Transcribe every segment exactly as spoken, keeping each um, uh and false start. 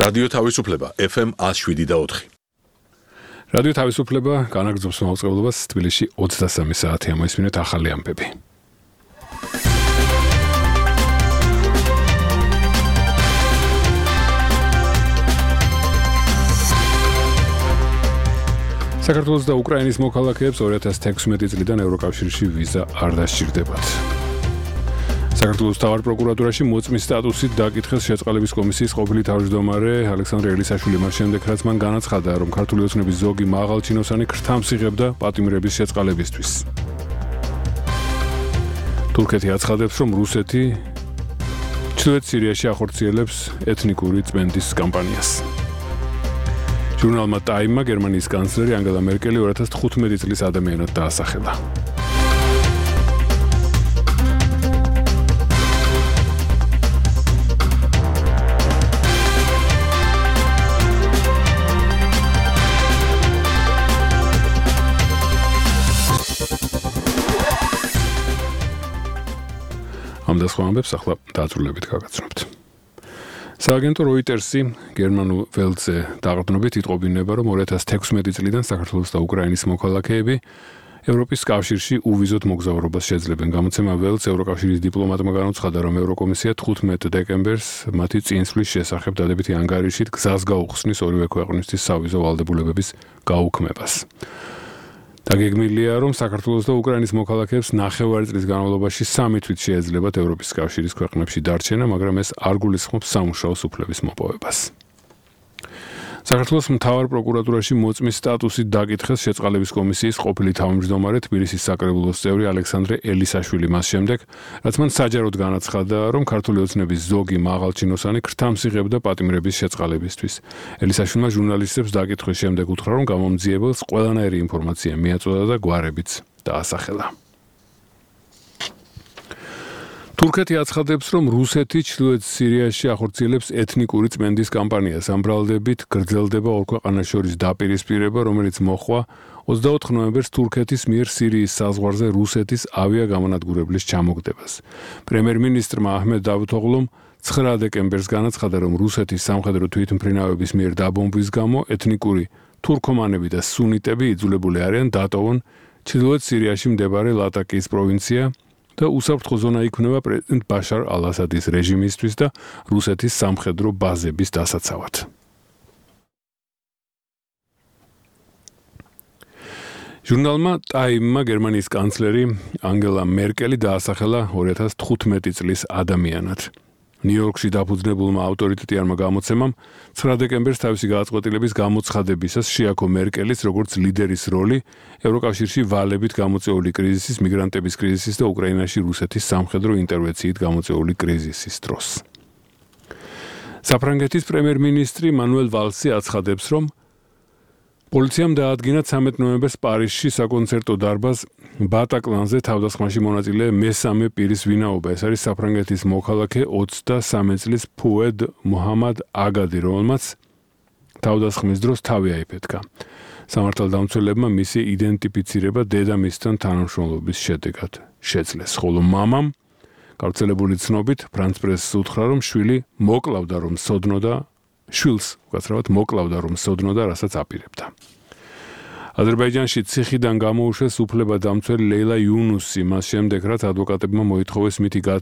რადიო თავისუფლება ეფ ემ one oh seven და four. რადიო თავისუფლება განაგრძობს მაუწყებლობას თბილისში ოცდასამი საათი ამოისმინეთ ახალი ამბები. საქართველოს და უკრაინის მოქალაქეებს two thousand sixteen წლიდან ევროკავშირში ვიზა არ დასჭირდებათ. საქართველოს მთავარ პროკურატურაში მოწმის სტატუსით დაკითხეს შეწყალების კომისიის ყოფილი თავმჯდომარე ალექსანდრე ელისაშვილი მას შემდეგ, რაც მან განაცხადა, რომ ქართული ოცნების ზოგი მაღალჩინოსანი ქრთამს იღებდა პატიმრების შეწყალებისთვის. თურქეთი აცხადებს, რომ რუსეთი ჩრდილოეთ სირიაში ახორციელებს ეთნიკური წმენდის კამპანიას. ჟურნალმა Time-მა გერმანიის კანცლერი ანგელა მერკელი two thousand fifteen წლის ადამიანად დაასახელა. ამ და სხვა ამბებს ახლა დაწვრილებით გაგაცნობთ. სააგენტო Reuters-ი გერმანულ ველზე დაყრდნობით იტყობინება, რომ two thousand sixteen წლიდან საქართველოს და უკრაინის მოქალაქეები ევროპის კავშირში უვიზოდ მოგზაურობას შეძლებენ. გამოცემა ველს ევროკავშირის დიპლომატმა განუცხადა, რომ ევროკომისია ხუთმეტ დეკემბერს მათი წინსვლის შესახებ დადებითი ანგარიშით გზას გაუხსნის ორივე ქვეყნისთვის სავიზო ვალდებულებების გაუქმებას. დაგეგმილია, რომ საქართველოს და უკრაინის მოქალაქეებს ნახევარი წლის განმავლობაში სამი თვით შეეძლებათ ევროპის კავშირის ქვეყნებში დარჩენა, მაგრამ ეს არ გულისხმობს სამუშაო სუფლების მოპოვებას. საქართველოს მთავარ პროკურატურაში მოწმის სტატუსით დაკითხეს შეწყალების კომისიის ყოფილი თავმჯდომარე თბილისის საკრებულოს წევრი ალექსანდრე ელისაშვილი მას შემდეგ, რაც მან საჯაროდ განაცხადა, რომ ქართული ოცნების ზოგი მაღალჩინოსანი ქრთამს იღებდა პატიმრების შეწყალებისთვის. ელისაშვილმა ჟურნალისტებს დაკითხვის შემდეგ უთხრა, რომ გამომძიებელს ყველანაირი ინფორმაცია მიაწოდა და გვარებიც დაასახელა. თურქეთი აცხადებს, რომ რუსეთი ჩრდილოეთ სირიაში ახორციელებს ეთნიკური წმენდის კამპანიას. ამ ბრალდებით გრძელდება ორ ქვეყანას შორის დაპირისპირება, რომელიც მოხვა twenty-fourth ნოემბერს თურქეთის მიერ სირიის საზღვარზე რუსეთის ავიაგამონადგურებლის ჩამოგდებას. პრემიერ-მინისტრმა აჰმედ დავუთოღლუმ nine დეკემბერს განაცხადა, რომ რუსეთის სამხედრო თვითმფრინავების მიერ დაბომბვის გამო ეთნიკური თურქომანები და სუნიტები იძულებული არიან დატოვონ ჩრდილოეთ სირიაში მდებარე ლატაკიის პროვინცია და უსაფრთხო ზონა იქნება პრეზიდენტ ბაშარ ალ-ასადის რეჟიმისთვის და რუსეთის სამხედრო ბაზების დასაცავად. ჟურნალმა Time-მა გერმანიის კანცლერი ანგელა მერკელი დაასახელა two thousand fifteen წლის ადამიანად. ნიუ-იორკში დაფუძნებულმა ავტორიტეტიანმა გამოცემამ nine დეკემბერს თავისი გადაწყვეტილების გამოცხადებისას შეაქო მერკელის როგორც ლიდერის როლი ევროკავშირში ვალებით გამოწვეული კრიზისის, მიგრანტების კრიზისის და უკრაინაში რუსეთის სამხედრო ინტერვენციით გამოწვეული კრიზისის დროს. საფრანგეთის პრემიერ-მინისტრი მანუელ ვალსი აცხადებს, რომ პოლიციამ დაადგინა thirteenth ნოემბერს პარიზში საკონცერტო დარბაზ ბატაკლანზე თავდასხმაში მონაწილე მესამე პირის ვინაობა. ეს არის საფრანგეთის მოქალაქე twenty-three წლის ფუედ მუჰამად აგადი, რომელმაც თავდასხმის დროს თავი აიფეთქა. სამართალდამცველებმა მისი იდენტიფიცირება დედამისთან თანამშრომლობის შედეგად შეძლეს, ხოლო მამამ გავრცელებული ცნობით ფრანც პრესს უთხრა, რომ შვილი მოკლავდა, რომ სოდნოდა შვილს უკაცრავად მოკლავდა, რომ სოდნოდა, რასაც აპირებდა. აზერბაიჯანში ციხიდან გამოუშვეს უფლებადამცველი ლეილა იუნუსი, მას შემდეგ, რაც ადვოკატებმა მოითხოვეს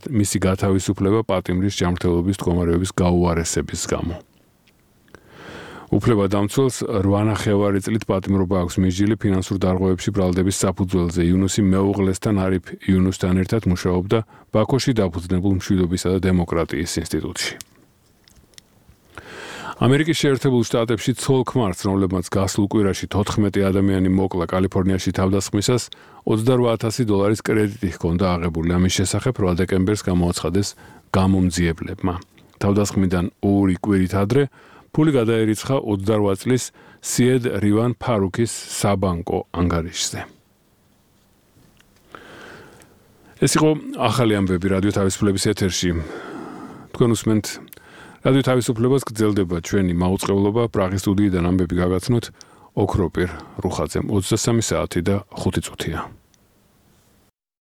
მისი გათავისუფლება პატიმრის ჯანმრთელობის მდგომარეობის გაუარესების გამო. უფლებადამცველს eight ნახევარი წლით პატიმრობა აქვს მისჯილი ფინანსურ დარღვევებში ბრალდების საფუძველზე. იუნუსი მეუღლესთან არიფ იუნუსთან ერთად მუშაობდა ბაქოში დაფუძნებულ მშვიდობისა და დემოკრატიის ინსტიტუტში. ამერიკის შეერთებულ შტატებში ცოლ-ქმარს, რომლებმაც გასულ კვირაში fourteen ადამიანი მოკლა კალიფორნიაში თავდასხმისას, twenty-eight thousand დოლარის კრედიტი ჰქონდა აღებული. ამის შესახებ eight დეკემბერს გამოაცხადეს გამომძიებლებმა. თავდასხმიდან ორი კვირით ადრე ფული გადაერიცხა twenty-eight წლის სიედ რივან ფარუქის საბანკო ანგარიშზე. ეს იყო ახალი ამბები რადიო თავისუფლების ეთერში. თქვენ უსმენთ რადიო თავისუფლებას, გრძელდება ჩვენი მაუწყებლობა. პრაღის სტუდიიდან ამბები გაგაცნოთ ოქროპირ რუხაძემ. ოცდასამი საათი და ხუთი წუთია.